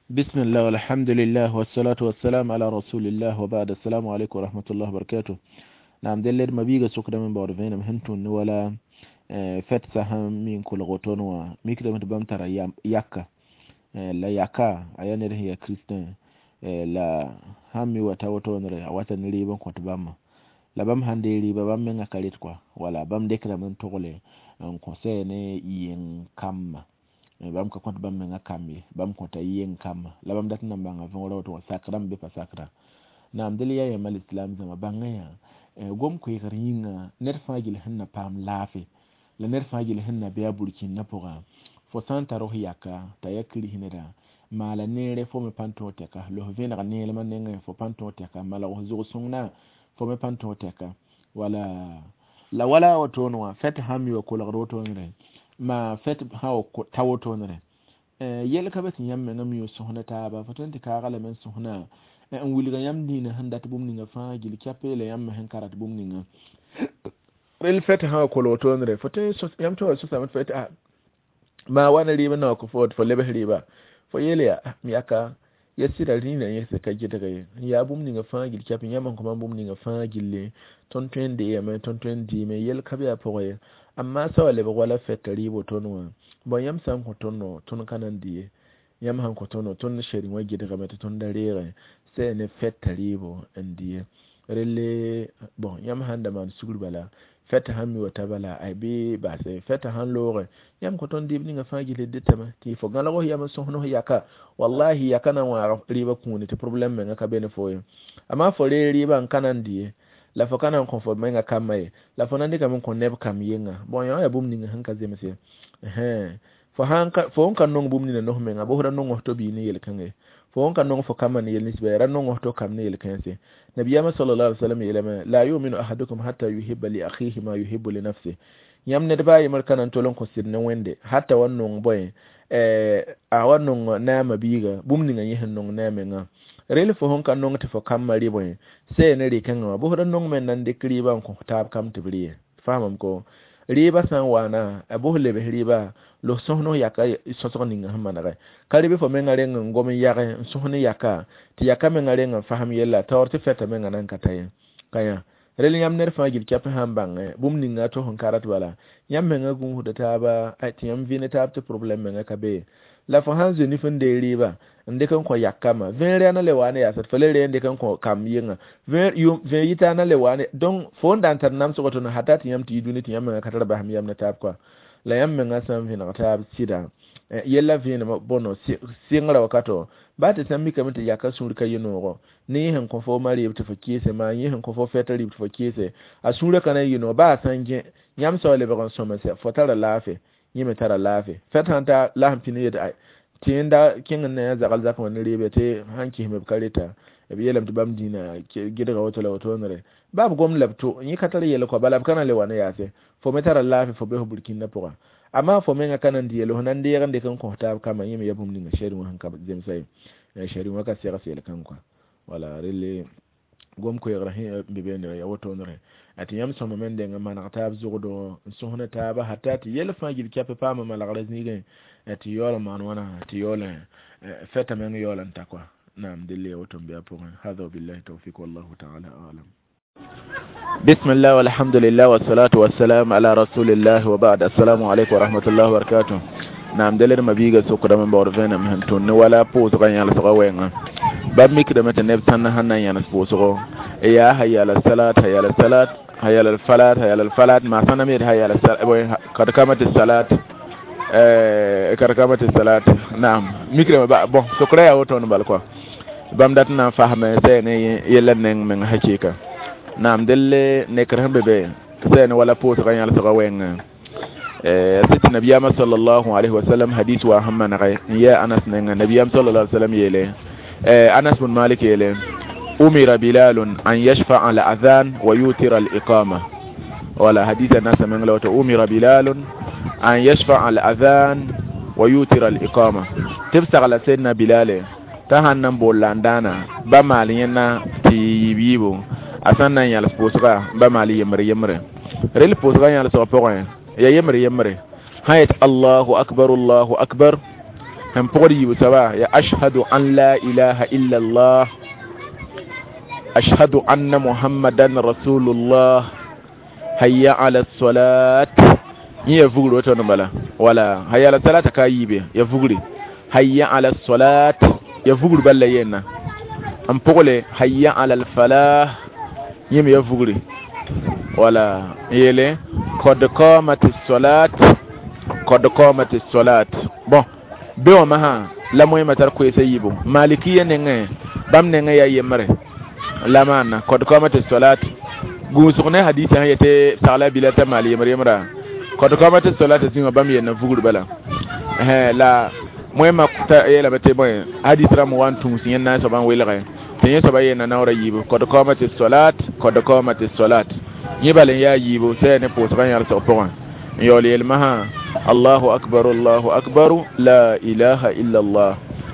Bismillah walhamdulillah wassalatu wassalam ala rasulillah wa ba'd. Assalamu alaikum wa rahmatullahi wa barakatuh. Naam, delled mabiga sokdame baood vẽenem sẽn tũnd ne wala fɛt sã sẽn mi n kolg woto wã mikdame tɩ bãmb tara yaka, la yaka a yaa ned sẽn yaa kiristẽ, la sãn mi wa ta wotone a wata ne rɩɩb n kõt bãmba, la bãmb sãn dee rɩɩba, bãmb menga ka ret kɔa, wala bãmb dɩkdame n togle n kõ sɛ ne yeng kambã. Bãmb ka kõt bãmb menga kamb ye, bãmb kõta yeng kambã, la bãmb dat n na n bãnga võorã woto wã sakrã n be pa sakra. Naam, dẽl yaa yãmb alislam zãma bãnga yã gom-koeegr yĩnga ned fãa gill sẽn na paam laafɩ, la ned fãa gill sẽn na be a burkĩndã pʋga. Fo sã n tar f yaka t'a yaa kiris neda, maala neere fo me pãn tõog tɛka, los vẽneg neelmã nengẽ fo pãn tõog tɛka, malg f zʋg-sõngna fo me pãn tõog tɛka, wala la wala wotone wã fɛt sãn mi wa kolgd wotone ma fɛt sã wa ta wotone yɛl ka be tɩ yãmb menga mi sõsna taaba, fo tõe n tɩ kaaga lame n sõsna n wilga yãmb dĩinã sẽn dat bũmb ninga fãa gill kɛpɛ la yãmb me sẽn ka rat bũmb ninga. Rel fɛt sã wa kolg wotone fo tõe yãmb tõe wa sõsame tɩ fo yetɩ maa wa ne rɩɩb n na wa kõ fo tɩ fo lebs rɩɩba, fo yeel yaa m yaka ya sɩda rĩinã yẽsd ka gɩdg ye, n yaa bũmb ninga fãa gill kɛpɛ yãmb n kõ mam bũmb ninga fãa gilli, tõnd tõe n deegame, tõnd tõe n dɩɩme, yɛl ka be a pʋgẽ ye. Amma sã wa lebg wala fɛta rɩɩb wotone wã, bõe yãmb sã n kõ tõndo, tõnd ka na n dɩ ye, yãmb sãn kõ tõndo, tõnd seri wã gɩdgame tɩ tõnd da reegẽ sɛ ne fɛta rɩɩbo n dɩ ye. Relle bõn yãmb sãn da maan sugr bala, fɛtã sãn mi wa ta bala ay bɩ basɛ, fɛtã sãn loogẽ yãmb kõ tõnd dɩɩb ninga fãa gill d dɩtame tɩ fo gãlg f yam n sõsn f yaka, wallahi yaka na n wãag rɩɩbã kũuni tɩ problɛm menga ka be ne fo ye. Amma fo reeg rɩɩbã n ka na n dɩ ye, la fo ka na n kõ fo menga kambã ye, la fo na n dɩkame n kõ neb kam yenga, bõn yã yaa bũmb ninga sẽn ka zemse. Fo sẽn ka nong bũmb nina nos menga, bos ra nong f to bii ne yel-kãngã ye, fo sẽn ka nong fo kambã ne yel ninsba, ra nong f to kam ne yel-kãense. Nabiyaamã sallallahu alaihi wasallam yeelame la yuminu ahadukum hatta yuhibba li akhihi ma yuhibbu li nafsihi. Yãmb ned baa yembr ka na n tol n kõ sɩd ne Wẽnde hatta wa nong bõe a wa nong naamã biiga bũmb ninga yẽ sẽn nong ne a mengã. Rel fo sẽn ka nong tɩ fo kambã rɩ bõe sɛ ne rɩ-kãngã wã, bos ra nong me n na n dɩk rɩɩbã n kõ taab kam tɩ b rɩ ye. Faamame ko rɩɩbã sã n waana a bos lebs rɩɩba los sõsn f yaka sõsg ninga sẽn manegɛ ka rɩ bɩ fo menga reng n gom n yagẽ n sõsn yaka tɩ yaka menga reng n fasem yella taoor tɩ fɛta menga nan ka ta ye ka yã. Rel yãmb ned fãa gill kɛp sãn bãngẽ bũmb ninga tɩ sẽn ka rat bala, yãmb menga gũusda taaba tɩ yãmb vɩ ne taab tɩ problɛm menga ka be. La fo sãn zoe nif n dee rɩɩba n dɩk n kõ yakama, vẽer yaa na le wa ne yaasd, fo le ree n dɩk n kõ kamb yenga, vẽer yita na le wa ne, donc fo n da n tar namsg tõnd hata tɩ yãmb tɩ yi dũni tɩ yãmb menga ka tar basem yam ne taab kɔa. La yãmb menga sã n vẽneg taab sɩda yella vẽenem bõno sɩngrã wakato baa tɩ sã n mikame tɩ yaka sũur ka yɩ noogo ne yẽ sẽn kõ fo ma rɩɩb tɩ fo kɩɩse, maa yẽ sẽn kõ fo fɛta rɩɩb tɩ fo kɩɩse, a sũurã ka na n yɩ noog baa a sã n gẽ yãmb soab lebg n sõmse fo tara laafɩ, yẽ me tara laafɩ. Fɛt sãn ta la sẽn pĩnd yetɩ tɩ yẽnda kẽng n na yã zagl zakã wã ne rɩɩbe tɩ sãn kɩsme b ka reta b yeelame tɩ bãmb dĩinã gɩdga woto la wotonere baa b gom la b to yẽ ka tar yɛl kɔ bala b ka na n le wa ne yaase, fo me tara laafɩ fo be fo burkĩndã pʋgã. Amma fo menga ka na n dɩ yel fo na n deeg n dɩk n kõ taab kambã, yẽ me yaa bũmb ninga sɛd wã sẽn ka zemsa ye, sɛd wã ka segs yel-kãng kɔa. Wala relle gom-koeegrã sẽn be beene ya wotonere tɩ yãmb sõma me n deng n maneg taab zʋgdo n sõsn taaba hata tɩ yɛl fãa gill kɛp paama malgrã zĩigẽ tɩ yaool n maan wãna tɩ yaool fɛta meng yaool n ta kɔa. Naam, delle ya woto n be a pʋgẽ. Hada wabillahi tawfiq wallahu taala alam. Bismillah walhamdulillah wassalatu wassalam ala rasulillah wa ba'd. Assalamu alaikum wa rahmatullahi wa barakatuh. Naam, delle ma biiga sokdame n baood vẽenem sẽn tũnd ne wala pʋʋsgã yãlsgã wɛɛngã. Bãmb mikdame tɩ neb sãn sẽn na n yãnes pʋʋsgo yaa hayya ala salat, hayya ala salat, hayya ala falat, hayya ala falat, maa sãn na me yetɩ hayya ala kad kamati salat, kad kamati salat. Naam, mikdame ba bõn sokra yaa wotone bal kɔa bãmb dat n na n fasme sɛ ne yɛla neng meng hakɩɩka. Naam, delle nekr sẽn be be sɛ ne wala pʋʋsgã yãlsgã wɛɛngã sɩ tɩ nabiyaamã sallallahu alaihi wasallam hadis wa sẽn manegɛ n yɛɛ Anas nengã. Nabiyaam sallallahu alaihi wasallam yeele, Anas bn Malik yeele umira Bilalun an yashfa'a al-adhan wa yutira al-iqama. Wala hadis Anas meng la woto umira Bilalun an yashfa'a al-adhan wa yutira al-iqama, tɩ b sagla Sɛdna Bilale t'a sãn na n bool la n dãana ba maal yẽnna tɩ yiib yiibo, a sãn na n yãls pʋʋsga ba maal yembre yembre. Rel pʋʋsga yãlsg pʋgẽ ya yembre yembre sã yet Allahu akbar, Allahu akbar, Sẽn pʋgd yiib soaba ya ashhadu an la ilaha illa allah ashhadu anna muhammadan rasulullah hayya ala salat yẽ ya vugr woto bala wala hayya ala salata ka yiibe ya vugre hayya ala salat ya vugr bala yenna n pʋgle hayya ala alfalah yẽ me ya vugre wala yele qad qamati salat qad qamati salat bon be wã masã la moẽmã tar koeesa yiibu malikiya nengẽ bãmb nengẽ yaa yembre la maana qad qamati salat gũusg ne hadisa sẽn yetɩ sagla bila t'a maal yembre yembrã qad qamati salat zĩwã bãmb yenna vugr bala la moẽmã yeelame tɩ bõe hadis rãmb wa n tũus yẽnd na n soabã n welge tɩ yẽ soaba yenna naoora yiibu qad qamati salat qad qamati salat yẽ bal n yaa yiibu sã ne pʋʋsgã yãlsg pʋgẽ n yaool yelmasã allahu akbar allahu akbar la ilaha illa allah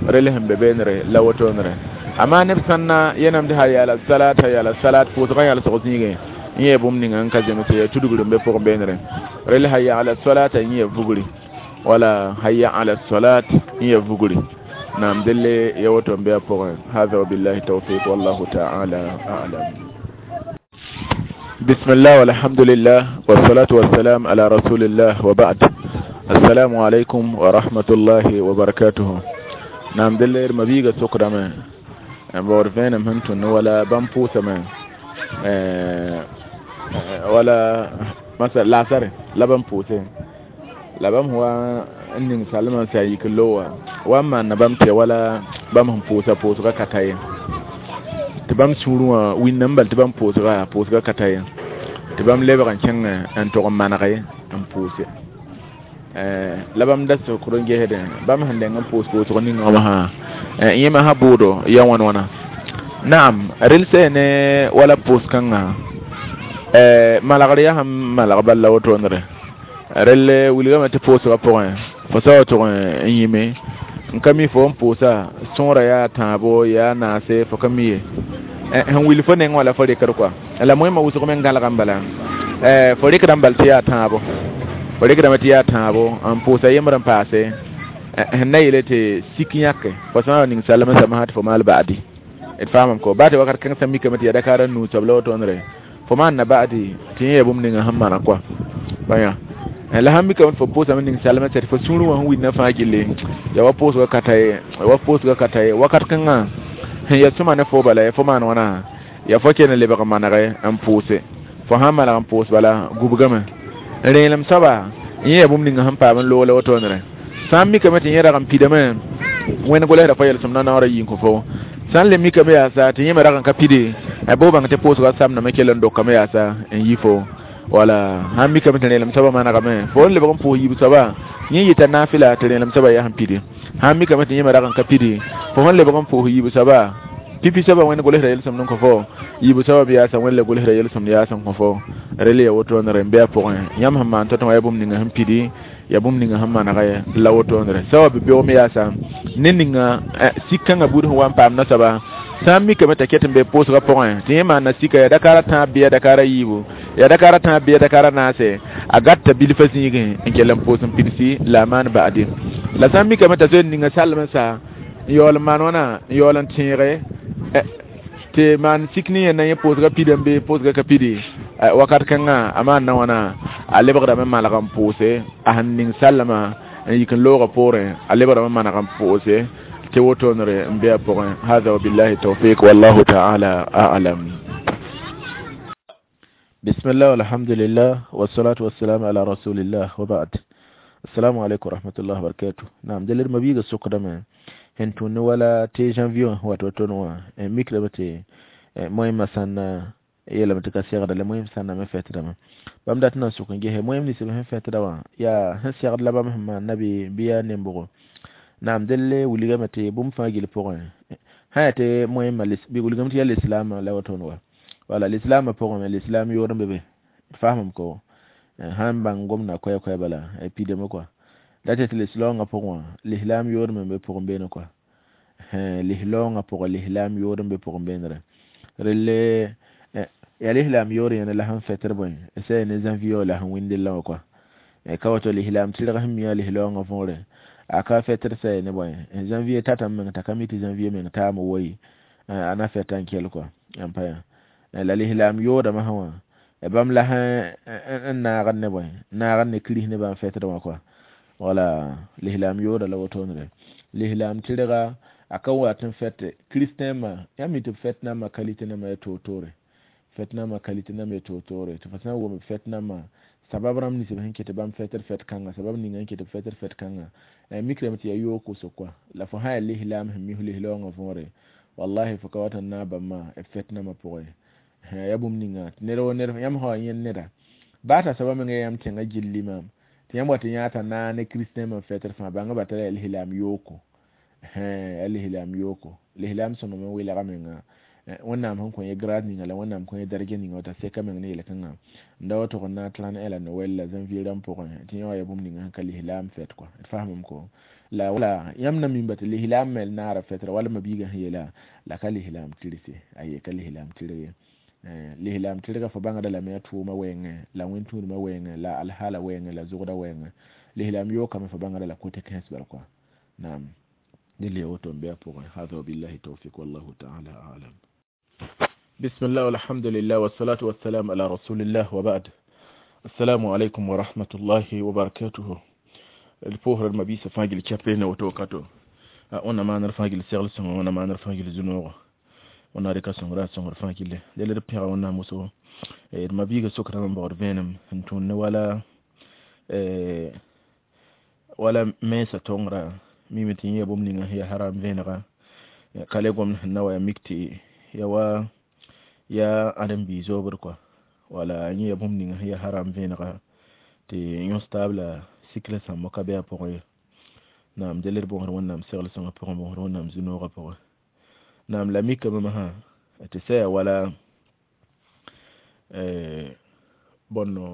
rel sẽn be beenre la wotonre amma neb sãn na yẽnam tɩ hayya ala salat hayya ala salat pʋʋsgã yãlsg zĩigẽ yẽ ya bũmb ninga n ka zemse ya tudgr n be pʋgẽ beenre rel hayya ala salat yẽ ya vugri wala hayya ala salat yẽ ya vugri naam delle ya woto n be a pʋgẽ hada wabillahi tawfiq wallahu ta'ala a'lam. بسم الله والحمد لله والصلاة والسلام على رسول الله وبعد. السلام عليكم ورحمة الله وبركاته. نعم دلير مبيغة سكرة بورفين مهنتون ولا بامبوسة ولا مثلا لا سر لا بامبوسة لا بام هو إني سالما سيكلوا وأما نبامتي ولا بام بوسة بوسة كتاي tɩ bãmb sũurẽ wã wĩnname bal tɩ bãmb pʋʋsga pʋʋsga ka ta ye tɩ bãmb lebg n kẽng n tog n manege n pʋʋse la bãmb da sokd n gesdẽ bãmb sẽn dẽng n pʋʋs pʋʋsg ninga wã sã yẽ masã bʋʋdo ya wãn wãna naam rel sã ne wala pʋʋs kãngã malgr yaa sẽn malg bal la wotondre rel wilgame tɩ pʋʋsgã pʋgẽ fo sa wa tʋg n yĩme n ka mi fo n pʋʋsa sõora yaa tãabo yaa naase fo ka mi ye sẽn wil fo neng wala fo rɩkd kɔa la moẽmã wʋsg me n gãlg n bala fo rɩkdame bal tɩ yaa tãabo fo rɩkdame tɩ yaa tãabo n pʋʋsa yembr n paase sẽn na yeele tɩ sik yãke fo sã n wa ning salem sã tɩ fo maal ba'adi d faamame ko baa tɩ wakat kãng sã mikame tɩ yaa dakaara nuu soab la wotondre fo maan na ba'adi tɩ yẽ ya bũmb ninga sẽn mana kɔa bãya la sãn mikame tɩ fo pʋʋsame ning salem tɩ fo sũurẽ wã sẽn wilna fãa gilli ya wa pʋʋsga ka ta ye wa pʋʋsga ka ta ye wakat kãngã sẽn ya sõma ne fo bala fo maan wãna ya fo ken lebg manege n pʋʋse fo sãn maneg n pʋʋs bala gubgame rẽelem soaba yẽ ya bũmb ninga sẽn paam n loog la wotondre sã n mikame tɩ yẽ rag n pidame wẽnd gʋlsda fo yelsem na naoora yĩng fo sã n le mikame yaasa tɩ yẽ me rag n ka pide bɩ bãng tɩ pʋʋsga samdame kell n dokame yaasa n yi fo wala sãn mikame tɩ rẽelem soaba manegame fo n lebg n pʋʋs yiib soaba yẽ yɩta naafɩla tɩ rẽelem soaba yaa sẽn pide sãn mikame tɩ yẽ me rag n ka pide fo sẽn lebg n pʋʋs yiib soaba pipi soaba wẽnd gʋlsda yelsem n kõ fo yiib soaba bɩ yaasa wẽnd le gʋlsda yelsem yaas n kõ fo rel ya wotondre n be a pʋgẽ yãmb sẽn maan tõ-tõ ya bũmb ninga sẽn pidi ya bũmb ninga sẽn maneg la wotondre soaba bɩ beoog me yaasa ne ninga sik kãngã buud sẽn wa n paam nasoaba sã n mikame t'a ket n be pʋʋsgã pʋgẽ tɩ yẽ maana sika yaa dakaara tãab bɩ ya dakaara yiibu ya dakaara tãab bɩ ya dakaara naase a gatta bilfã zĩigẽ n kell n pʋʋs n pidsi la a maan ba'adi la sã n mikame t'a zoe ninga salem sa n yaool n maan wãna n yaool n tẽege tɩ maan sik ne yẽnda yẽ pʋʋsga pidame bɩ pʋʋsga ka pidi wakat kãngã a maan na wãna a lebgdame malg n pʋʋse a sẽn ning sallama n yik n loogã poorẽ a lebgdame maneg n pʋʋse tɩ wotondre n be a pʋgẽ hada wabillahi tawfiq wallahu ta'ala a'lam. Bismillah walhamdulillah wassalatu wassalamu ala rasulillah wa ba'd. Assalamu alaikum warahmatullahi wabarakatuh. Naam delir mabiga sokdame hen tun wala te janvier wato tonwa mikra bate moyma sanna yela mate ka segda le moyim sanna me fetda ma bam dat na sokon gehe moyim ni sebe hen fetda wa ya hen segda la bam ma nabi biya nembogo naam delle wuliga mate bum fa gil pogon ha te moyim malis bi wuliga mate ya l'islam la watonwa wala l'islam pogon l'islam yoron bebe fahmam ko han bang gomna koy koy bala e pideme quoi date l'islam pogon l'islam yoron be pogon be quoi l'islam pogon l'islam yoron be pogon be rele ya l'islam yoron la han feter boy c'est ne zanvio la han windel la quoi e kawato l'islam tilga him ya l'islam fore A ka fɛtr sɛ ne bõe janvier tatame meng t'a ka mi tɩ janvier meng taame woyi a na fɛta n kell kɔa n pa yã la lislaam yoodame sã wã bãmb la sẽn naagd ne bõe naagd ne kirist nebã n fɛtd wã kɔa wala lislaam yooda la wotone lislaam tɩrga a ka wat n fɛt kristɛmã yãmb mi tɩ b fɛt nambã kalite nambã ya toor-toore fɛt nambã kalite nambã ya toor-toore tɩ fo sã n wʋm b fɛt nambã sabab rãmb nins b sẽn ket bãmb fɛtd fɛt kãnga sabab ninga n ket b fɛtd fɛt kãnga mikrame tɩ yaa yoog kʋsg kɔa la fo sã yaa lislaam sẽn mis lislaoongã võore wallahi fo ka wat n naag bãmba b fɛt nambã pʋgẽ ya bũmb ninga ned wo ned yãmb sã wa yẽnd neda baa t'a soaba meng yaa yãmb tẽngã gilli maam tɩ yãmb wat n yãa t'a naag ne kristɛmã n fɛtd fãa bãnga ba tara yaa lislaam yooko yaa lislaam yooko lislaam sõngame n welga menga wẽnnaam sẽn kõ yẽ grade ninga la wẽnnaam kõ yẽ daraja ninga t'a seka meng ne yel-kãngã n da wa tʋg n naag trãn la noɛl la janvier rãmb pʋgẽ tɩ yẽ wã yaa bũmb ninga sẽn ka lislaam fɛt kɔa d faamame ko la wala yãmb na mimba tɩ lislaam me naara fɛtra wala mabiigã sẽn yeela la ka lislaam tɩrse aye ka lislaam tɩrg ye lislaam tɩrga fo bãngda lame a tʋʋma wɛɛngẽ la wẽn-tũudmã wɛɛngẽ la alhaala wɛɛngẽ la zʋgda wɛɛngẽ lislaam yookame fo bãngda la kote kãens bal kɔa naam dɩl ya woto n be a pʋgẽ hada wabillahi tawfik wallahu taala alam. بسم الله والحمد لله والصلاة والسلام على رسول الله وبعد. السلام عليكم ورحمة الله وبركاته. الفوهر المبيسة فاجل كابين وتوكاتو وانا ما نرفاجل سيغل سنغ وانا ما نرفاجل زنوغ وانا ريكا سنغ را سنغ رفاجل دل ربيغا وانا مسو المبيغة سكرا من بعد فينم انتون ولا ولا ميسة تونغرا ميمتين يبوم لنا هي حرام فينغا كاليغوم نوا ميكتي يوا ya adam bi zobr quoi wala yẽ ya bũmb ninga sẽn yaa haram vẽenega tɩ yõs taab la sikla sãmbã ka be a pʋgẽ ye naam del d bõosd wẽnnaam segl sõngã pʋgẽ bõosd wẽnnaam zu-noogã pʋgẽ naam la mikame masã tɩ sã yaa wala bõnno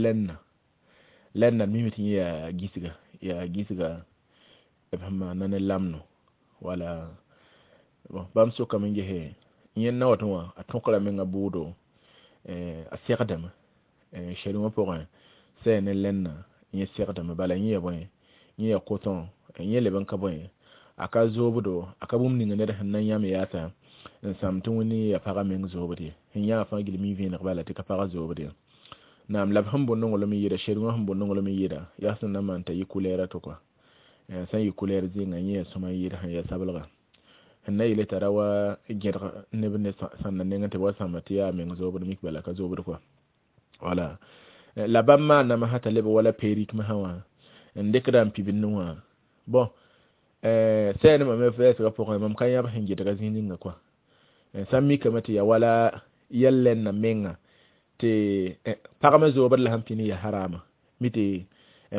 lɛnna lɛnna d mime tɩ yẽ yaa gisga yaa gisga b sẽn maana ne lamno wala bon bãmb sokame n gese yẽnd na wat wã a tõkra menga bʋʋdo a segdame sɛrengã pʋgẽ sã yaa ne lɛnna yẽ segdame bala yẽ ya bõe yẽ ya coton yẽ leb n ka bõe a ka zoobdo a ka bũmb ninga ned sẽn na n yãmb yaasa n sãm tɩ wẽnd ya pagã meng zoobd ye sẽn yãa fãa gil mi vẽeneg bala tɩ ka pagã zoobd ye naam la b sẽn bʋ nonglem n yɩɩda sɛrengã sẽn bʋ nonglem n yɩɩda yaa sẽn na n maan t'a yɩ kulɛɛra to kɔa sã n yɩ kulɛɛr zĩnga yẽ ya sõma n yɩɩd sẽn ya sabelga sẽn na yele t'a ra wa gẽdg neb ne sãnda nengẽ tɩ b wa sãmba tɩ yaa meng zoobd mik bala ka zoobd kɔa wala la bãmb maaname sã t'a leb wala perik masã wã n dɩkda n pibl ne wã bon sɛɛnema me vɛɛsgã pʋgẽ mam ka yãb sẽn gɩdga zĩig ninga kɔa sã n mikame tɩ ya wala yɛl lɛnna menga tɩ pag me zoobd la sẽn pĩnd ya harama mi tɩ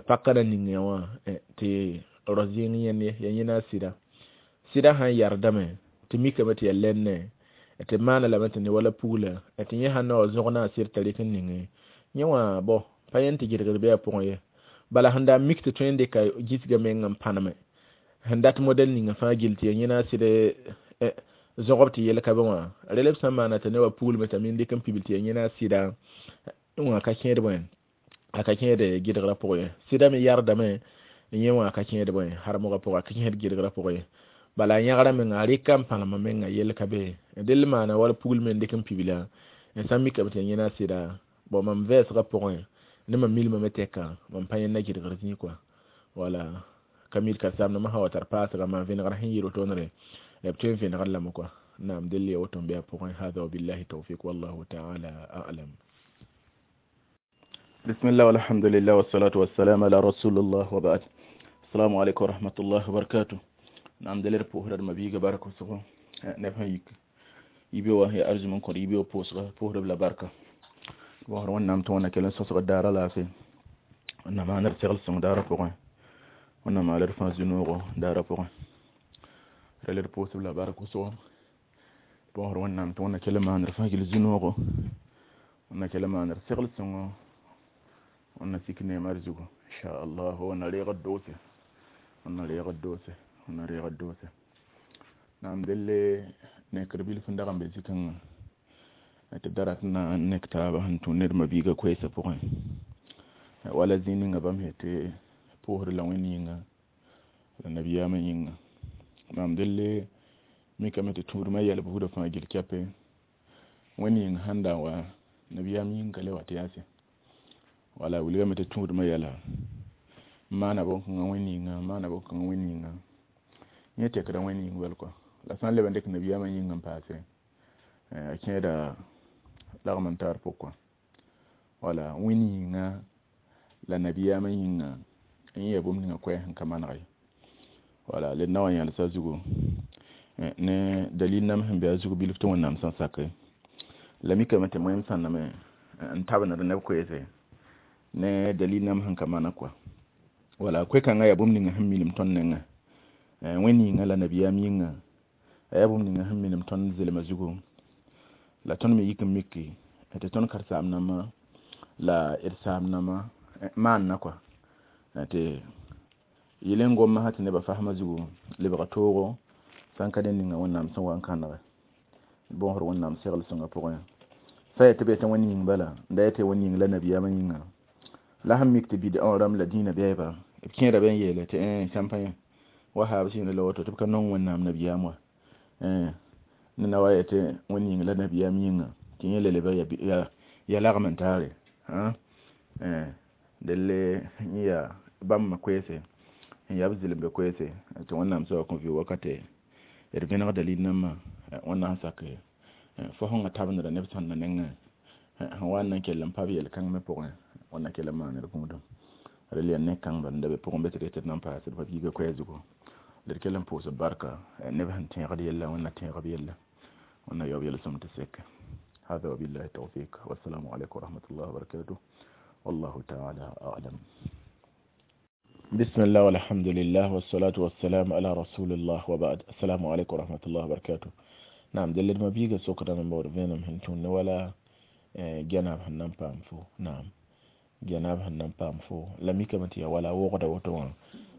paka na ning yã wã tɩ ros zĩng yẽnd ye ya yẽna a sɩda sɩda sãn yardame tɩ mikame tɩ ya lɛnne tɩ maana lame tɩ ne wala pugla tɩ yẽ sãn na wa zõg na a sɩd t'a rɩk n ninge yẽ wã bõ pa yẽnd tɩ gɩdgd bɩ a pʋgẽ ye bala sẽn da n mik tɩ tõe n dɩka gisga meng n pãneme sẽn dat modɛl ninga fãa gill tɩ ya yẽna a sɩd zõgb tɩ yel ka be wã rel b sã n maana tɩ ne wa puglme t'a min dɩk n pibl tɩ ya yẽna a sɩda wã ka kẽed bõe a ka kẽed gɩdgrã pʋgẽ ye sɩda me yardame yẽ wã ka kẽed bõe harmgã pʋgẽ a ka kẽed gɩdgrã pʋgẽ ye bala yãgra menga a rɩka n pãlema menga yel ka be dell maana wala puglme n dɩk n pibla n sã n mikame tɩ ya yẽna a sɩda bon mam vɛɛsgã pʋgẽ ne mam milmame tɛka mam pa yẽnda gɩdgr zĩig kɔa wala ka mil ka-saamdãmbã sã wa tar paasga maan vẽnegrã sẽn yɩ wotone b tõe n vẽnegd lame kɔa naam dell ya woto n be a pʋgẽ hada wabillahi tawfik wallahu taala alam. بسم الله والحمد لله والصلاة والسلام على رسول الله وبعد. السلام عليكم ورحمة الله وبركاته. نعم دليل بوهر ما بيجا بارك وسقو نفهم يك يبيوا هي أرجو من كور يبيوا بوسغ بوهر بلا بركة بوهر ونام تونا كلن سوسغ دارا لا في ونما نرتغل سون دارا بوغ ونما لرفان زنوغ دارا بوغ رلر بوس بلا بركة وسقو بوهر ونام تونا كلن ما نرفان كل زنوغ ونا كلن ما نرتغل سون ونا سكني مرزقو إن شاء الله ونا ريغ الدوسة ونا ريغ الدوسة ونا ريغ الدوسة نعم دل نكربيل فندقن بزكن تدرتنا نكتابة هنتو نرمى بيغا كويسة بوغن ولا زينينغا بام هتي بوهر لوينينغا La nabiyaamã yĩnga maam delle mikame tɩ tũudmã yɛl buudã fãa gil kɛpe wẽnd yĩng sãn da n wa nabiyaam yĩng ka le wa tɩ yaase wala wilgame tɩ tũudmã yɛla n maana bõn-kãngã wẽnd yĩnga n maana bõn-kãngã wẽnd yĩnga yẽ tekda wẽnd yĩng bal kɔa la sã n leb n dɩk nabiyaamã yĩng n paase a kẽeda lagm n taar pʋg kɔa wala wẽnd yĩnga la nabiyaamã yĩnga n yẽ yaa bũmb ninga koɛɛg sẽn ka maneg ye wala led na wa yãlsa zugu ne dalil nam sẽn be a zug bilf tɩ wẽnnaam sẽn sake la mikame tɩ moẽm sãnname n tabend neb koeese ne dalil nam sẽn ka maneg kɔa wala koe-kãngã yaa bũmb ninga sẽn minim tõnd nengẽ wẽnd yĩnga la nabiyaam yĩnga a yaa bũmb ninga sẽn minim tõnd zelma zugu la tõnd me yik n miki tɩ tõnd karen-saam-dãmbã la d saam-dãmbã maanna kɔa tɩ yel n gom sã tɩ nebã fasmã zugu lebga toogo sãn ka ned ninga wẽnnaam sẽn wa n kãnege bõosd wẽnnaam segl sõngã pʋgẽ sã n yaa tɩ b yetɩ wẽnd yĩng bala n da yetɩ wẽnd yĩng la nabiyaamã yĩnga la sẽn mik tɩ bid'a wã rãmb la dĩinã bɛɛba b kẽeda be n yeele tɩ sãmpa yẽ wa haab sɩɩnã la woto tɩ b ka nong wẽnnaam nabiyaam wa ned na wa yetɩ wẽnd yĩng la nabiyaam yĩnga tɩ yẽ le lebg ya lagm n taare delle yẽ yaa bãmb koeese n yaa b zɩlembe koeese tɩ wẽnnaam soaba kõ vɩ wakate d vẽneg dalil nambã wẽnnaam sak fo sẽn tabendra neb sãnda nengẽ sẽn wa n na n kell n pa b yel-kãng me pʋgẽ wẽnna kell n maan d gũudum rel yaa ne-kãng bal n da be pʋgẽ be tɩ d yetɩ d na n paas d ma-biigã koɛɛ zugu la d kell n pʋʋs b barka neb sẽn tẽegd yella wẽnna tẽeg b yella wẽnna yaoob yel-sõm tɩ seke هذا وبالله التوفيق والسلام عليكم ورحمة الله وبركاته والله تعالى أعلم بسم الله والحمد لله والصلاة والسلام على رسول الله وبعد السلام عليكم ورحمة الله وبركاته نعم دلل ما بيجا سكرا من بور فينم هنتون ولا جناب هنم بامفو نعم جناب هنم بامفو لم يكمتي ولا وغدا وتوان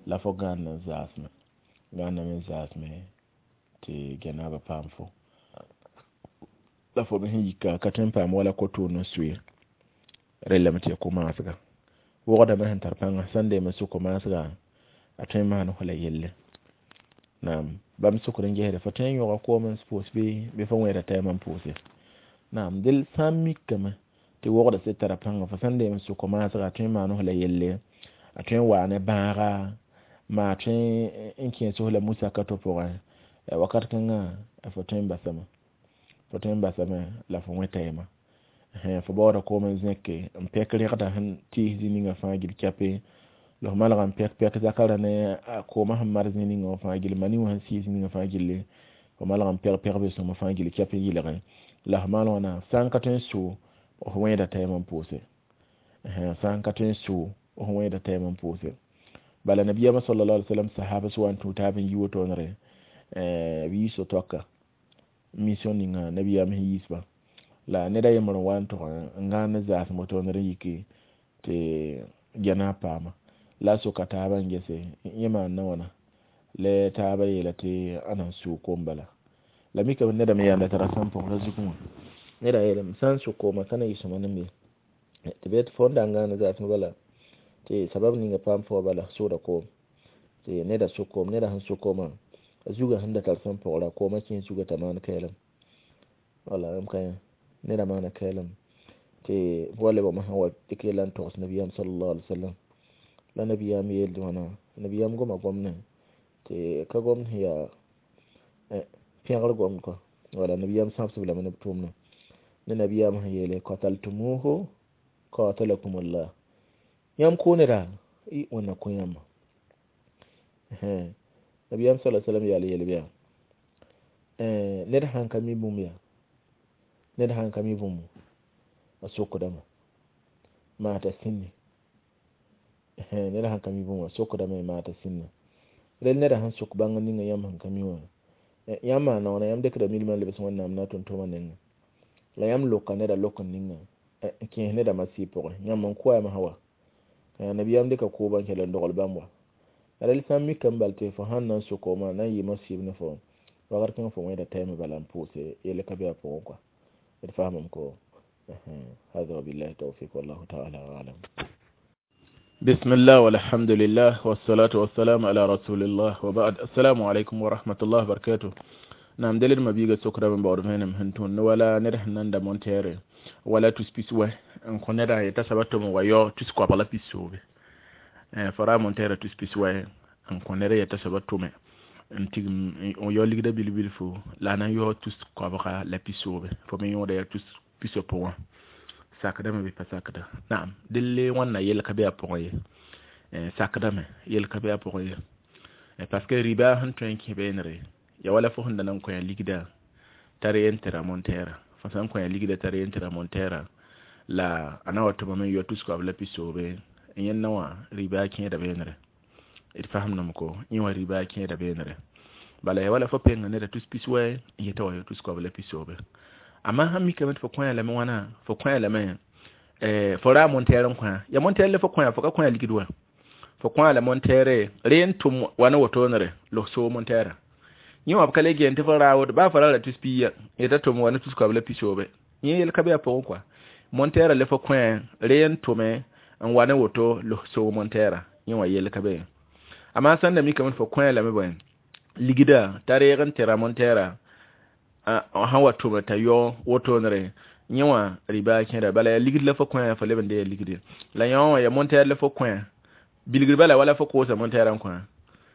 لا فغان زاسم غانا من زاسم تي جناب بامفو la fo me sẽn yika ka tõe n paam wala ko-toor n soe rellame tɩ ya ko-maasga wogdame sẽn tar pãnga sãn deem n sʋk ko-maasga a tõe n maan fo la yelle naam bãmb sʋkr n gesde fo tõe n yõga koom n pʋʋs bɩ fo wẽeda tɛɛmã n pʋʋse naam del sã n mikame tɩ wogda sɩd tara pãnga fo sãn deem n sʋk ko-maasga a tõe n maan fo la yelle a tõe n waa ne bãaga maa tõe n kẽes fo la musaka to pʋgẽ wakat kãngã fo tõe n basame fo tõe n basame la fo wẽ tɛɛmã fo baooda koom n zẽke n pɛk rẽgda sẽn tɩɩs zĩ ninga fãa gil kɛpe la f malga n pɛk pɛk zakara ne koomã sẽn mar zĩ ninga wã fãa gil mani wã sẽn sɩɩs ninga fãa gilli fo malg n pɛg pɛgbe sõma fãa gil kɛp n yɩlge la f maan wãna sã n ka tõe n sʋ f wẽeda tɛɛm n pʋʋse sã n ka tõe n sʋ f wẽeda tɛɛm n pʋʋse bala nabiyama sallallahu alaihi wasallam sahaba sẽn wa n tũ taab n yi wotoonre b yi so-toaka mission ninga nabiyam sẽn yiisba la ned a yembr n wa n tog n gãan ne zaasem wotoonr n yiki tɩ gɛna paama la a soka taabã n gese yẽ maanda wãna la taabã yeela tɩ a na n sʋʋ koom bala la mikame neda me yaanda tara sãn pʋgda zugẽ wã neda yeelame sã n sʋk koomã ka na yɩ sõma ne me tɩ b yetɩ fo n da n gãane zaasem bala tɩ sabab ninga paam fo bala sʋʋda koom tɩ neda sʋk koom neda sẽn sʋk koomã a zugã sẽn da tar sẽn pʋgra koomã kẽes zugã t'a maan kɛɛlem wala m ka neda maana kɛɛlem tɩ wa lebgme sẽn wa dɩk yella n togs nabiyaam sallallahu alaihi wasallam la nabiyaam yeel wãna nabiyaam goma gomdẽ tɩ ka gomd sẽn yaa pẽgr gomd kɔ wala nabiyaam sãbsb lame ne b tʋʋmdã ne nabiyaam sẽn yeele qataltumuhu qatalakumullah yãmb kʋ neda wẽnna kõ yãmba nabiyam sallallahu alaihi wasallam yaal yel yaa ned sãn ka mi bũmb yaa ned sãn ka mi bũmb a sokdame maa t'a sĩnne ned sãn ka mi bũmb a sokdame maa t'a sĩnne rel neda sẽn sok bãng ninga yãmb sẽn ka mi wã yãmb maana wãna yãmb dɩkda milmã n lebs wẽnnaam na tʋm-tʋʋmã nengẽ la yãmb loka neda lok n ninga n kẽes neda masɩ pʋgẽ yãmb n koɛɛm sã wa nabiyam dɩka kʋʋbã n kell n dogl bãmb wa rel sã n mikame bal tɩ fo sãn na n sʋk koomã na n yɩ masɩb ne fo wakat kãngã fo wẽeda tɛɛmã bala n pʋʋse yell ka be a pʋgẽ kɔa d faamame ko هذا وبالله التوفيق والله تعالى أعلم. بسم الله والحمد لله والصلاة والسلام على رسول الله وبعد السلام عليكم ورحمة الله وبركاته. Naam, deled mabiiga sokdame n baood vẽenem sẽn tõnd wala ned sẽn nan da montere wala tus pis wɛ n kõ neda yeta soaba tʋm n wa yao tus koabg la pisoobe. Fo ra montere tus pis wɛ n kõ ned yeta soaba tʋme n tigim n yao ligda bil-bilfu la a na n yao tus koabga la pisoobe, fo me yõoda yaa tus pisopʋ wã. Sakdame bɩ pa sakda? Naam, delle wãnna yell ka be a pʋgẽ ye. Sakdame, yell ka be a pʋgẽ ye, parce que riba sẽn tõe n kẽ beenre ya wala fo sẽn da nan kõ ligda tar yen tɩ ra montɛɛra. Fo sã n kõ ligda tar yen tɩ ra montɛɛra la a na wa tʋmame n yɔ tus koabg la pisoobe n yẽnna wã, riba kẽeda beenre. D fasemdame ko yẽ wã riba kẽeda beenre. Bala ya wala fo penga neda tus pis wɛ n yeta wa yɔ tus koabg la pisoobe. Amma sãn mikame tɩ fo kõ lame wãna, fo kõ lame, fo ra montɛɛr n kõ ya montɛɛr la fo kõ, fo ka kõ ligd wa, fo kõ la montɛɛre re n tʋm wa ne wotoonere logsoo montɛɛra. Yẽ wã b ka le geen tɩ fo raawd baa fo ra ra tus piiya yeta tʋm wa ne tus koabg la pisoobe. Yẽ yel ka be a pʋgẽ kɔa, montɛɛra le fo kõ re n tʋme n wa ne woto logsoo montɛɛra, yẽ wã yel ka be. Amma sãn da mikame tɩ fo kõ lame bõe ligda t'a reeg n tɩ ra montɛɛra sãn wa tʋme t'a yao wotoonere, yẽ wã riba kẽeda. Bala yaa ligd la fo kõ, fo leb n dee ligde la yõ wã ya montɛɛr la fo kõ bilgr. Bala wala fo koosa montɛɛrã n kõ,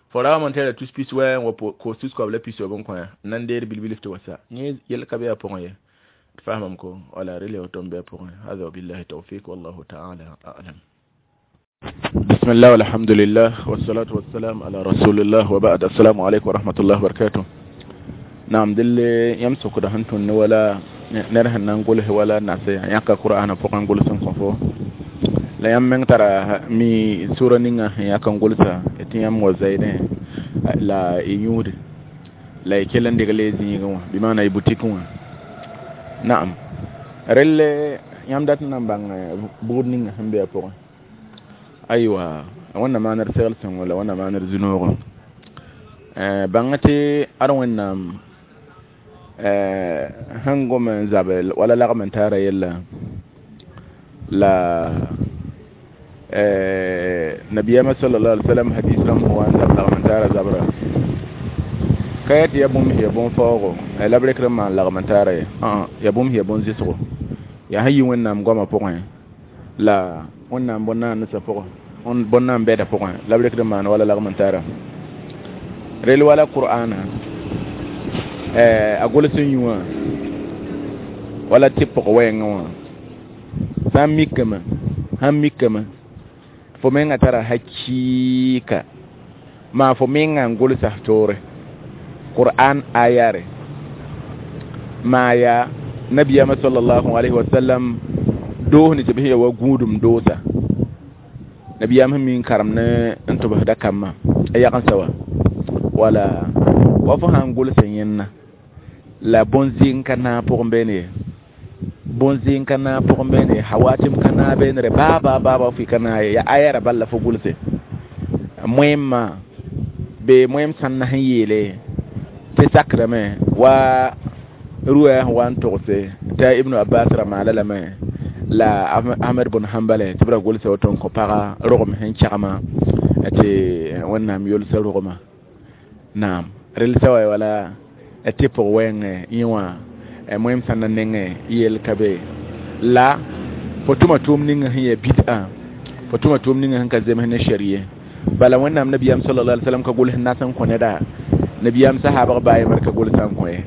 fo ra montɛɛra tus pis wɛ n wa koos tus koabg la pisoob n kõ n na n deed bil-bilf tɩ wa sa. Yẽ yel ka be a pʋgẽ ye. D fasamame ko wala rel ya woto n be a pʋgẽ. Hada wabillahi tawfiq wallahu taala alam. بسم الله والحمد لله والصلاة والسلام على رسول الله وبعد السلام عليكم ورحمة الله وبركاته. Naam, delle yãmb sokda sẽn tõnd wala ned sẽn na n gʋls wala nase yãka Qur'ana pʋgẽ n gʋls n kõ fo la yãmb meng tara mi sura ninga sẽn yãk n gʋlsa tɩ yãmb wa zaɩdẽ la y yũude la y kell n degl y zĩigẽ wã bɩ maana y butik wã. Naam, relle yãmb dat n na n bãng bugd ninga sẽn be a pʋgẽ. Aywa, wẽnna maanr segl sõngo la wẽnna maanr zu-noogo. Bãng tɩ ad Wẽnnaam sẽn gom n zabe wala lagm n taara yella la nabiyama sallallahu alaihi wasallam hadis rãmb sẽn wa n zab lagm n taara zabra ka yaa tɩ ya bũmb sẽn ya bõn-faoogo la b rekd n maan lagm n taara ye. Ya bũmb sẽn ya bõn-zɩsgo, yaa sẽn yi Wẽnnaam goamã pʋgẽ la Wẽnnaam bõn-naandsã pʋgẽ, bõn-naan bɛda pʋgẽ la b rekd n maan wala lagm n taara. Rel wala Qur'ana a gʋls n yũ wã wala tɩ pʋg wɛɛngã wã sã n mikame, sãn mikame fo menga tara hakɩɩka maa fo menga n gʋlsa toore Qur'an ayare maa yaa nabiyama sallallahu alaihi wasallam doos ne tɩ b sẽn ya wa gũudum doosa nabiyam sẽn mi n karem ne n tʋbsda kambã a yagensã wa wala wa fo sã n gʋlsa yẽnna la bõn-zɩng ka naag pʋgẽ beene ye, bõn-zɩng ka naag pʋgẽ beene ye, hawatim ka naag beenere baa baa baa baa fɩ ka naag ye, yaa ayara bal la fo gʋlse moẽmã bee moẽm sãnna sẽn yeele tɩ sakdame wa ruwaya sẽn wa n togse t'a Ibnu Abbas ra maala lame la Ahmed bn Hambale tɩ b ra gʋlsa woto n kõ paga rogem sẽn kɛgma tɩ Wẽnnaam yolsa rogema. Naam, rel sa wa wala tɩ pʋg wɛɛngẽ yẽ wã moẽm sãnna nengẽ yel ka be la fo tʋma tʋʋm ninga sẽn yaa bid'a, fo tʋma tʋʋm ninga sẽn ka zems ne sharie. Bala Wẽnnaam nabiyam sallallahu alaihi wasallam ka gʋls nas n kõ neda, nabiyam sahabg baa yembr ka gʋlsa n kõ ye.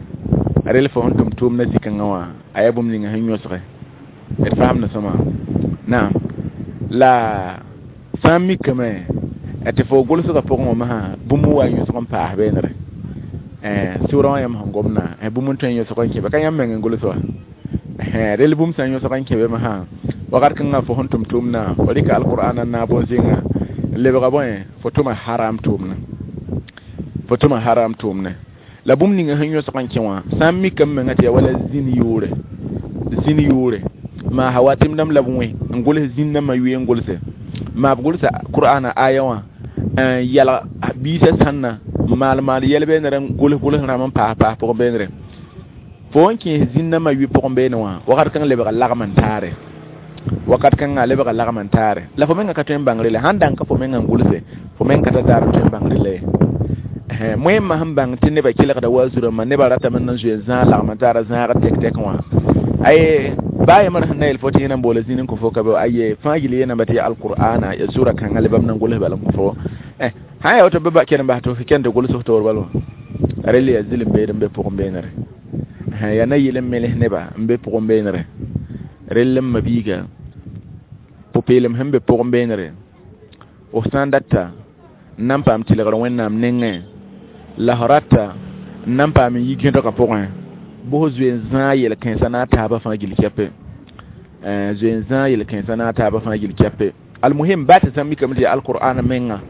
Rel fo sẽn tʋm tʋʋm na zĩ-kãngã wã a yaa bũmb ninga sẽn yõsge. D fasemda sõma. Naam, la sã n mikame tɩ fo gʋlsgã pʋgẽ wã masã bũmb wa n yõsg n paas beenre sʋʋrã wã yãmb sẽn gomdã bũmb n tõe n yõsg n kẽbe ka yãmb meng n gʋls wa. Rel bũmb sã n yõsg n kẽbe masã wakat kãngã fo sẽn tʋm tʋʋmdã fo rɩka alqur'ana n naag bõn-zẽngã n lebga bõe fo tʋma haram tʋʋmne, fo tʋma haram tʋʋmne la bũmb ninga sẽn yõsg n kẽ wã sã n mikame menga tɩ yaa wala zĩn yʋʋre, zĩn yʋʋre maa hawatim dãmb la b wẽ n gʋls zĩn dãmbã yʋe n gʋlse maa b gʋlsa Qur'ana aya wã n yalg biisã sãnna maal maal yɛl beenere n gʋls gʋls rãmb n paas paas pʋgẽ beenere fo n kẽes zĩn dãmbã yʋ pʋgẽ beene wã wakat kãng lebga lagm n taare. Wakat kãngã lebga lagm n taare la fo menga ka tõe n bãngre la sãn dãng ka fo menga n gʋlse fo meng ka tar daar n tõe n bãngre la ye. Moẽmã sẽn bãng tɩ nebã kelgda wa zu-rãmbã nebã ratame n zoe n zãag lagm n taara zãag tek-tek wã aye baa yembr sẽn na yel fo tɩ yẽ na n boola zĩn n kõ fo ka be aye fãa gill yeename tɩ ya alqur'ana ya sura kãngã le bãmb na n gʋls bala n kõ fo sã n ya woto bɩ ba ken n bas tɩ f ken tɩ gʋls f toor bal wã rel yaa zɩlem beed n be pʋgẽ beenere yaa na yɩl n meles neba n be pʋgẽ beenere rell n mabiiga pʋ-peelem sẽn be pʋgẽ beenere f sã n data n na n paam tɩlgr wẽnnaam nengẽ la f rata n na n paam n yi gẽdgã pʋgẽ bʋs zoe n zãag yel-kãensã na a taabã fãa gill kɛpe zoe n zãag yel-kãensã na a taabã fãa gill kɛpe almuhim baa tɩ sã n mikame tɩ yaa alqur'ana menga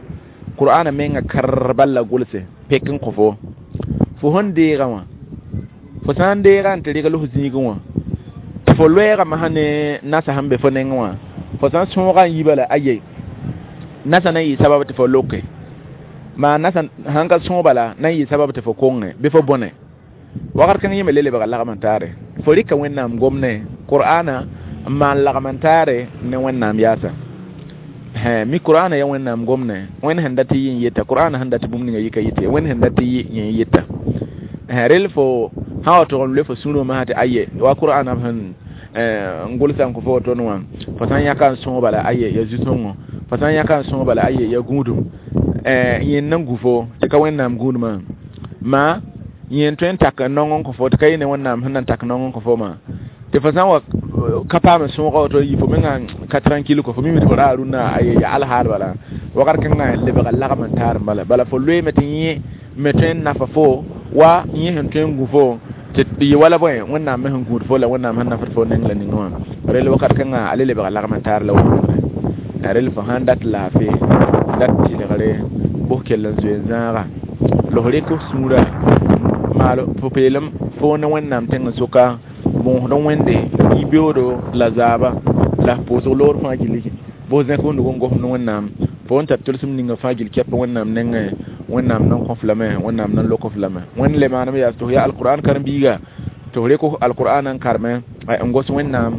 qur'ana menga kar bal la gʋlse pek n kõ fo fo sẽn deegã wã fo sã n deega n tɩ regl f zĩigẽ wã tɩ fo loɛɛgame sã ne nasa sẽn be fo nengẽ wã fo sã n sõoga n yi bala aye nasa na n yɩ sabab tɩ fo loke maa nasa sãn ka sõog bala na n yɩ sabab tɩ fo konge bɩ fo bõne wakat kãng yẽ me le lebga lagm n taare fo rɩka wẽnnaam gomne qur'ana n maan lagm n taare ne wẽnnaam yaasa mi qur'ana ya wẽnnaam gomne wẽnd sẽn dat yɩ n yeta qur'ana sẽn dat bũmb ninga yɩka yɩte wẽnd sẽn dat yɩ yẽ n yeta rel fo sã wa tʋg n loe fo sũurẽ masã tɩ aye wa qur'ana sẽn n gʋlsa n kõ fo woto wã fo sã n yãka n sõog bala aye ya zu-sõngo fo sã n yãka n sõog bala aye ya gũudum yẽnd na n gu fo tɩ ka wẽnnaam gũudmã maa yẽn tõe n tak n naong n kõ fo tɩ ka yɩ ne wẽnnaam sẽn na n tak naong n kõ fo ma tɩ fo sã n wa ka paam n sõoga woto yɩ fo menga ka tranquille kõ fo mime tɩ fo raa rũnnã aye ya alhaal bala wakat kãngã lebga lagm n taar n bala bala fo loeeme tɩ yẽ me tõe n nafa fo wa yẽ sẽn tõe n gu fo tɩ yɩ wala bõe wẽnnaam me sẽn gũud fo la wẽnnaam sẽn nafd fo neng la ning wã rel wakat kãngã a le lebga lagm n taar la wẽnnaam rel fo sãn dat laafɩ dat tɩlgre bʋs kell n zoe n zãaga la f rɩk f sũurã maal pʋ-peelem fo ne wẽnnaam tẽng soka bõosd wẽnde yi-beoodo la zaaba la f pʋʋsg loor fãa gill bʋs zẽk f nug n gosd ne wẽnnaam fo n tar tʋlsem ninga fãa gill kɛp wẽnnaam nengẽ wẽnnaam nan kõ f lame wẽnnaam nan lok f lame wẽnd le maaneme yaa tɩ f yaa alqur'an karen-biiga tɩ f rɩk alqur'an n karme n gos wẽnnaam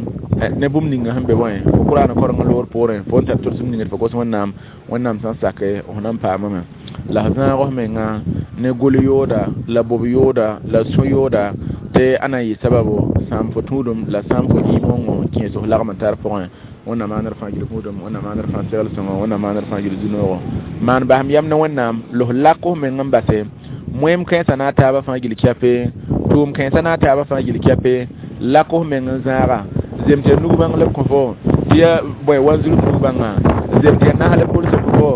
ne bũmb ninga sẽn be bõe fo qur'an koreng loor poorẽ fo n tar tʋlsem ninga tɩ fo gos wẽnnaam wẽnnaam sã n sake f na n paamame la f zãag f menga ne gol yooda la bob yooda la sõ yooda tɩ a na n yɩ sababu sãam fo tũudum la sãam fo ɩ-moongo kẽes f lagm n tar pʋgẽ wẽnnaam maanr fãa gil gũudum wẽnnaam maanr fãa segl sõngo wẽnnaam maanr fãa gil zu-noogo maan basem yam ne wẽnnaam la f lak f meng n base moẽm kãensã na a taabã fãa gil kɛpe tʋʋm kãensã na a taabã fãa gil kɛpe lak f meng n zãaga zem tɩ ya nug-bãng la b kõ fo tɩ ya bõe wanzurb nug-bãngã zem tɩ ya nas la b gʋls kõ fo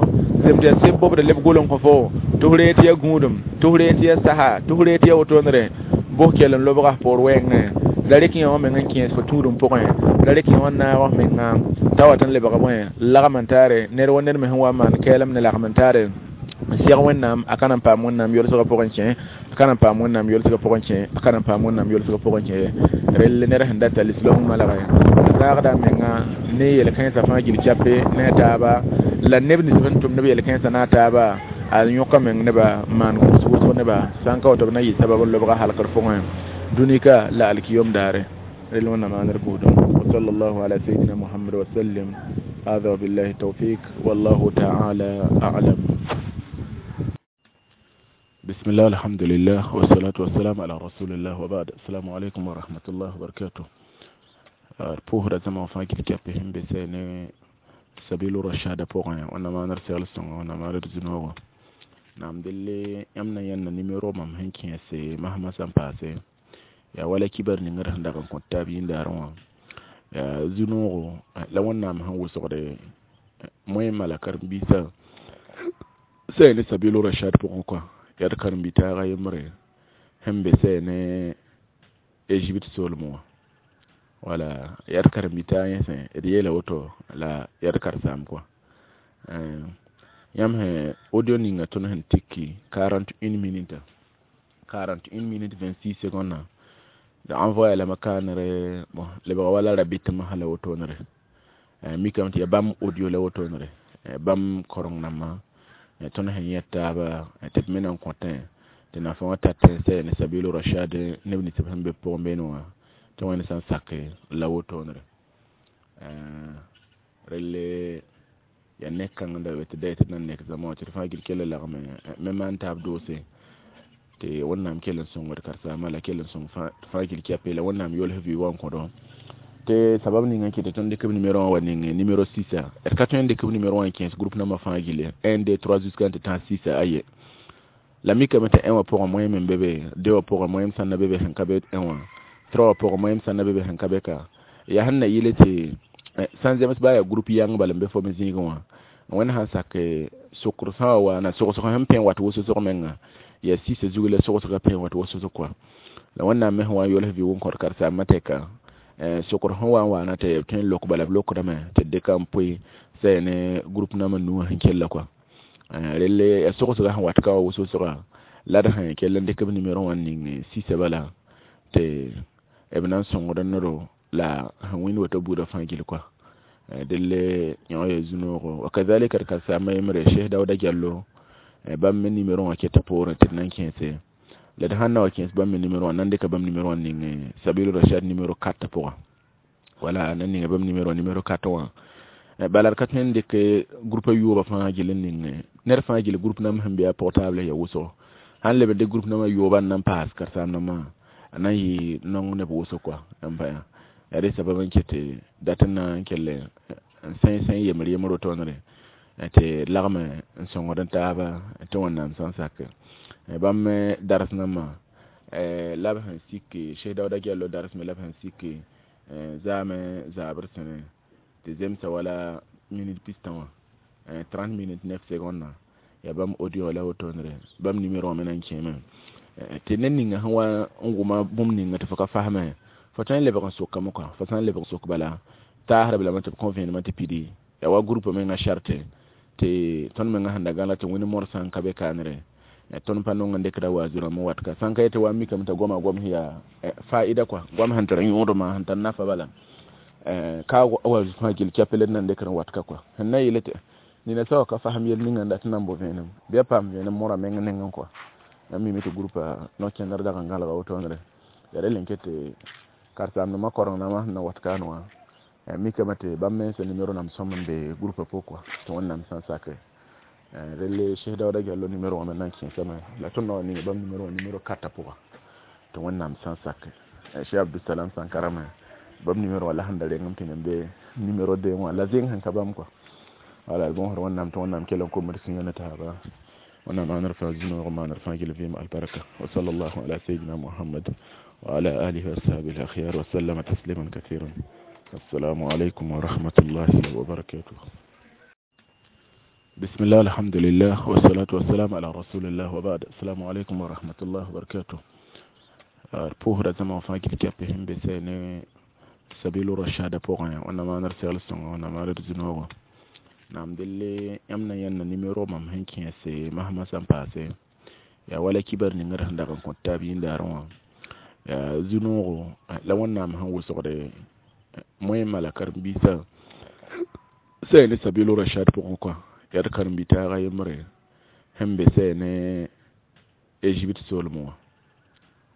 zem tɩ ya seb bobd leb gol n kõ fo tɩ f ree tɩ ya gũudum tɩ f ree tɩ ya saha tɩ f ree tɩ ya wotondre bʋs kell n lobga f poor wɛɛngẽ la rɩk yẽ wã meng n kẽes fo tũudum pʋgẽ la rɩk yẽ wã n naag f menga t'a wat n lebg bõe lagm n taare ned wa ned me sẽn wa n maan kɛɛlem ne lagm n taare n seg wẽnnaam a ka na n paam wẽnnaam yolsgã pʋgẽ kẽ a ka na n paam wẽnnaam yolsgã pʋgẽ kẽ a ka na n paam wẽnnaam yolsgã pʋgẽ kẽ rel ned sẽn data lislaoong malgẽ zãagda a menga ne yel-kãensã fãa gil kɛpe ne a taaba la neb nins sẽn tʋmd b yel-kãensã na a taaba a yõka meng neba n maan gʋls wʋsg neba sã n ka woto b na yɩ sabab n lobga halkr pʋgẽ dũnika la alkiyom daare rel wẽnnaam maanr gũudum wa sallallahu ala sayyidina muhammad wa sallim هذا وبالله التوفيق والله تعالى أعلم. بسم الله الحمد لله والصلاة والسلام على رسول الله وبعد. السلام عليكم ورحمة الله وبركاته. pʋʋsda zãma fãa gil kɛp sẽn be sɛ ne sabilu rashada pʋgẽ wẽnnaam maanr segl sõngo wẽnnaam maanr zu-noogo naam delle yãmb na yãnna nimero mam sẽn kẽese masmã sã n paase yaa wala kibar ningr sẽn dag n kõt taab yĩndaarẽ wã yaa zu-noogo la wẽnnaam sẽn wʋsgde moẽmã la karen-biisã sɛ ne sabilu rashad pʋgẽ kɔa yaa d karen-bi-taaga yembre sẽn be sɛ ne Egypte soolmẽ wã wala yaa d karen-bi-taag yẽsẽ d yeela woto la yaa d karen-saam kɔa yãmb sẽn audio ninga tõnd sẽn tiki 41 minutes 41 minutes 26 secondes d envoyer lame kaanere bon lebga wala rabitmã la wotonere mikame tɩ yaa bãmb audio la wotonere bãmb koreng nambã tõnd sẽn yẽ taaba tɩ b me na n kõtẽ tɩ nafa wã tat n sɛ ne sabilu rashad neb nins sẽn be pʋgẽ beene wã tɩ wẽnd sã n sake la wotonere Relle ya nek kãng n da be tɩ da tɩ d na n nek zãma wã tɩ d fãa gil kell n lagme me maan taab doose tɩ Wẽnnaam kell n sõngd karen-saambã la kell n sõng fãa gil kɛpe la Wẽnnaam yols vɩ wã n kõdo tɩ sabab ninga n kɩt tɩ tõnd dɩk b numéro wã wa ning numéro 6. D ka tõe n dɩk b numéro wã n kẽes groupe nambã fãa gilli 1 2 3 jusqu'à n tɩ tãs 6. Aye, la mikame tɩ 1 wã pʋgẽ moẽm n be be, 2 wã pʋgẽ moẽm sãn na be be sẽn ka be 1 wã, 3 wã pʋgẽ moẽm sãn na be be sẽn ka be ka. Yaa sẽn na yɩle tɩ sãn zems baa yaa groupe yãng bala n be fo me zĩigẽ wã, Wẽnd sãn sak sokr sã wa waana sogsg sẽn pẽ wat wʋsg menga yaa sɩsã zug la sogsgã pẽ wat wʋsg kɔa. La Wẽnnaam me sẽn wa n yols vɩ wʋn kõt karen-saambã tɛka sokr sẽn wa n waana tɩ b tõe n lok bala b lokdame tɩ d dɩka n poe sɛ ne groupe nambã nuwã sẽn kella kɔa. Relle yaa sogsgã sẽn wat ka wã wʋsg la d sẽn kell n dɩk b numéro wã n ning sɩsã bala tɩ b na n sõngd nedo la sẽn wĩnd woto buudã fãa gill kɔa. Delle yõ yaa zu-noogo. Wa kazalika d karen-saambã yembre Cheikh Daouda Diallo, bãmb me numéro wã keta poorẽ tɩ d na n kẽese la d sãn na wa kẽes bãmb me numéro wã, nan dɩka bãmb numéro wã n ning Sabilu Rachad numéro 4 pʋgã. Wala nan ninga bãmb numéro numéro 4 wã bala d ka tõe n dɩk groupe a yoobã fãa gill n ning ned fãa gill groupe nambã sẽn be a portable ya wʋsgo. Sãn leb n dɩk groupe nambã yoobã n na n paas karen-saam nambã a na n yɩ nong neb wʋsg kɔa n pa yaa rẽ sabab n ket dat n na n kell n sẽn yembr yembr wotone tɩ lagme n sõngd n taaba tɩ Wẽnnaam sã n sak bãmb me dars nambã la b sẽn sik Cheikh Daouda Diallo dars me la b sẽn sik zaame zaabr sẽne tɩ zemsa wala minute pistã wã, 30 minutes 9 secondes yaa bãmb audio la wotonere bãmb numéro wã me na n kẽeme tɩ ned ninga sẽn wa n wʋma bũmb ninga tɩ fo ka fasme, fo tõe n lebg n sokame kɔa. Fo sã n lebg n sok bala taasdb lame tɩ b kõ vẽenemã tɩ pidi yaa wa groupe menga charte tɩ tõnd menga sẽn da gãla tɩ wẽnd morsã n ka be kaanere tõnd pa nong n dɩkda wazu rãmb n wat ka sãn ka yetɩ wa mikame t'a goama gom sẽn yaa fa'ida kɔa, goam sẽn tar yõodmã sẽn tar nafa bala ka wazu fãa gill kɛpel d na n dɩkd n wat ka kɔa. Sẽn na yɩle tɩ nina sã wa ka fasem yel ninga n dat n na n bo vẽenem bɩ a paam vẽenem morã meng nengẽ kɔa. Yãmb mime tɩ groupa no-kẽndr dag n gãlega wotoonere yaa rel n ket tɩ karen-saamdãmbã koreng nambã sẽn na wat kaan wã mikame tɩ bãmb mensã numéro nam sõm n be groupa pʋgẽ kɔa tɩ Wẽnnaam sã n sake relle Cheikh Daouda Diallo numéro wã me na n kẽesame la tõnd na wa ning bãmb numéro wã numéro 4 pʋga tɩ Wẽnnaam sã n sake Cheikh Abdusalam Sankara me bãmb numéro wã la sẽn da rengem tɩ nem be numéro 2 wã la zeng sẽn ka bãmb kɔa. Wala d bõosd Wẽnnaam tɩ Wẽnnaam kell n komd sũyã ne taaba. Wẽnnaam maanr fãa zu-noog maanr fãa gill vɩɩm albarka. Wa sallallahu ala sayyidina Muhammad wa ala alihi wa ashabihi al-akhyar wa sallama tasliman kathiran. Assalamu alaikum wa rahmatullahi wa barakatuh. Bismillah, alhamdulillah, wa salatu wa salam ala rasulillah wa ba'd. Assalamu alaikum wa rahmatullahi wa barakatuh. Pʋʋsda zãma fãa gil kɛpɛ sẽn be sɛ ne Sabilu Rashada pʋgẽ. Wẽnnaam maanr segl sõnga, Wẽnnaam maanr zu-noogo. Naam, delle yãmb na yãnna numéro mam sẽn kẽese masmã sã n paase yaa wala kibar ning d sẽn dag n kõt taab yĩndaarẽ wã yaa zu-noogo la Wẽnnaam sẽn wʋsgde moẽmã la karen-biisã sɛ ne Sabilu Rashad pʋgẽ kɔa. Yaa d karen-bi-taaga yembre sẽn be sɛ ne Égypte soolmẽ wã.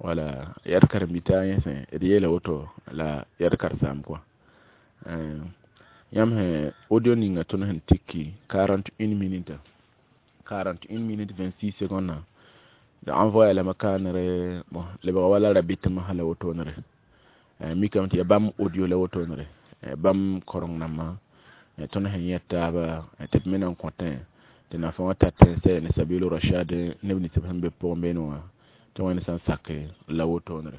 Wala yaa d karen-bi-taag yẽsẽ d yeela woto la yaa d karen-saam kɔa. Yãmb sẽn audio ninga tõnd sẽn tiki 41 minutes, 41 minutes 26 secondes d envoyé lame kaanere bon lebga wala rabitmã la wotonere mikame tɩ yaa bãmb audio la wotonere bãmb koreng nambã tõnd sẽn yẽ taaba tɩ b me na n kõtẽ tɩ nafa wã tat sɛ ne Sabilu Rashad neb nins b sẽn be pʋgẽ beene wã tɩ Wẽnd sã n sake la wotoonere.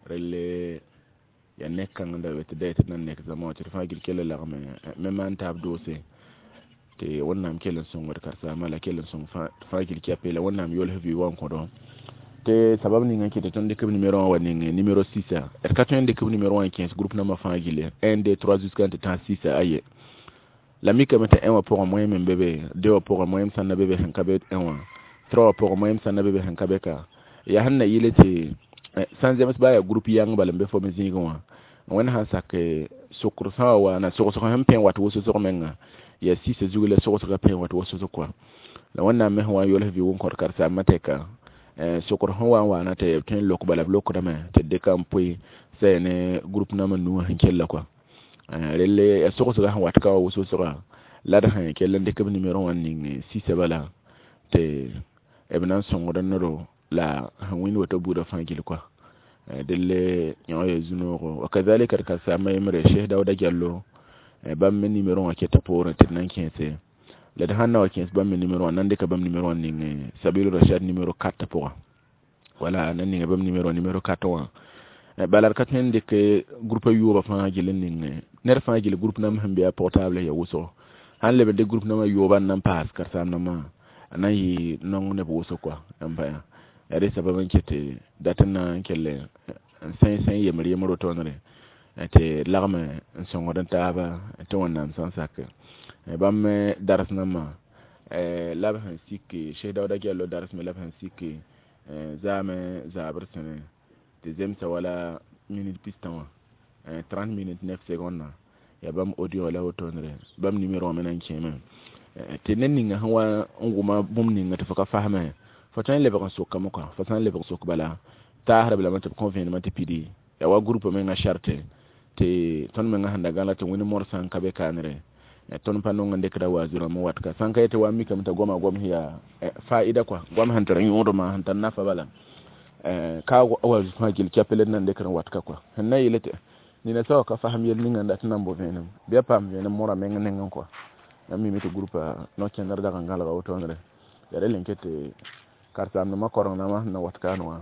Relle yaa nek kãng n da be tɩ da tɩ d na n nek zãma wã tɩ d fãa gil kell n lagme me maan taab doose tɩ Wẽnnaam kell n sõngd karen-saambã la kell n sõng fãa gil kɛpe la Wẽnnaam yols vɩ wã n kõdo tɩ sabab ninga n kɩt tɩ tõnd dɩk b numéro wã wa ning numéro 6. D ka tõe n dɩk b numéro wã n kẽes groupe nambã fãa gilli 1 2 3 jusqu'à n tɩ tãs 6. Aye, la mikame tɩ 1 wã pʋgẽ moẽm n be be, 2 wã pʋgẽ moẽm sãn na be be sẽn ka be 1 wã, 3 wã pʋgẽ moẽm sãn na be be sẽn ka be ka. Yaa sẽn na yɩle tɩ sãn zems baa yaa groupe yãng bala n be fo me zĩigẽ wã, Wẽnd sãn sak sokr sã wa waana sogsg sẽn pẽ wat wʋsg menga yaa sɩsã zug la sogsgã pẽ wat wʋsg kɔa. La Wẽnnaam me sẽn wa n yols vɩ wʋn kõt karen-saambã tɛka sokr sẽn wa n waana tɩ b tõe n lok bala b lokdame tɩ d dɩka n poe Sã ne groupe nãmb nuwã sẽn kella kɔa. Relle ya sogsga sẽn wat ka wa wʋsg la d sẽn kell n dɩk b nimero wã n ning sisa bala tɩ b na n sõngd nedo la sẽn wĩnd woto buudã fãa gill kɔa. Delle yõ ya zu-noogo. Wa kazalika d karsaambã yembre Cheikh Daouda Diallo, bãmb me nimero wã keta poorẽ tɩ d na n kẽese la d sãn na wa kẽes bãmb me nimero wã, nan dɩka bãmb nimero wã n ning Sabilu Rashad nimero 4 pʋgã. Wala nan ninga bãmb nimero nimero 4 wã. Bala d ka tõe n dɩk groupe yoobã fãa gill n ning ned fãa gill groupe nãmb sẽn be a portable ya wʋsgo. Sãn leb n dɩk groupe nãmbã yooba n na n paas karen-saam-dãmbã, a na n yɩ naong neb wʋsg kɔa. N pa yaa rẽ sabab n ket tɩ dat n na n kell n sẽe yembr yembr wotone tɩ lagme n sõngd n taaba tɩ Wẽnnaam sã n sak. Bãmb me dars nambã la b sẽn sik Cheikh Daouda Diallo dars me la b sẽn sik zaame zabr sẽne tɩ zemsa wala minute pistã wã, 30 minutes 9 secondes yaa bãmb audio la wotonere. Bãmb nimero wã me na n kẽeme tɩ ned ninga sẽn wa n wʋma bũmb ninga tɩ fo ka fasme, fo tõe n lebg n sokame kɔa. Fo sã n lebg n sok bala, taasdb lame tɩ b kõ vẽenemã tɩ pidi yaa wa groupe menga charte tɩ tõnd menga sẽn da gãla tɩ wẽnd morsã n ka be kaanere. Tõnd pa nong n dɩkda waazu rãmb n wat ka sãn ka yetɩ wa mikame t'a goama gom sẽn yaa fa'ida kɔa, goam sẽn tar yõodmã sẽn tar nafa bala ka waazu fãa gill kɛpl d na n dɩkd n wat ka kɔa. Sẽn na yeele tɩ nina soaba ka fasem yell ninga n dat n na n bo vẽenem bɩ a paam vẽenem morã meng nengẽ kɔa. Yãmb mime tɩ groupa no-kẽndr dag n gãlga wotoonre yaa rel n ket tɩ karen-saamdãmbã koreng nambã sẽn na wat kaan wã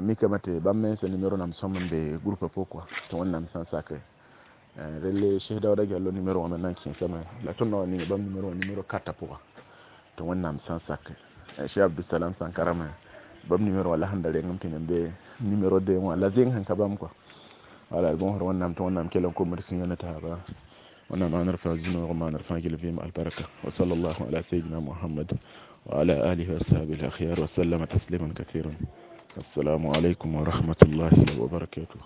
mikame tɩ bãmb mensã nimero nam sõm n be groupa pʋgẽ kɔa tɩ Wẽnnaam sã n sake. Relle Cheikh Daouda Diallo nimero wã me na n kẽesame la tõnd na wa ninga bãmb nimero wã nimero 4 pʋga tɩ Wẽnnaam sã n sake. Cheikh Abdousalam Sankara me bãmb nimero wã la sẽn da reng n pĩnd n be nimero 2 wã la zeng sẽn ka bãmb kɔa. Wala d bõosd Wẽnnaam tɩ Wẽnnaam kell n komd sũyã ne taaba. Wẽnnaam maanr fãa zu-noog, maanr fãa gill vɩɩm albarka. Wa sallallahu ala sayyidina Muhammad wa ala alihi wa ashabihi al-akhyar wa sallama tasliman kathiran. Assalamu alaikum wa rahmatullahi wa barakatuh.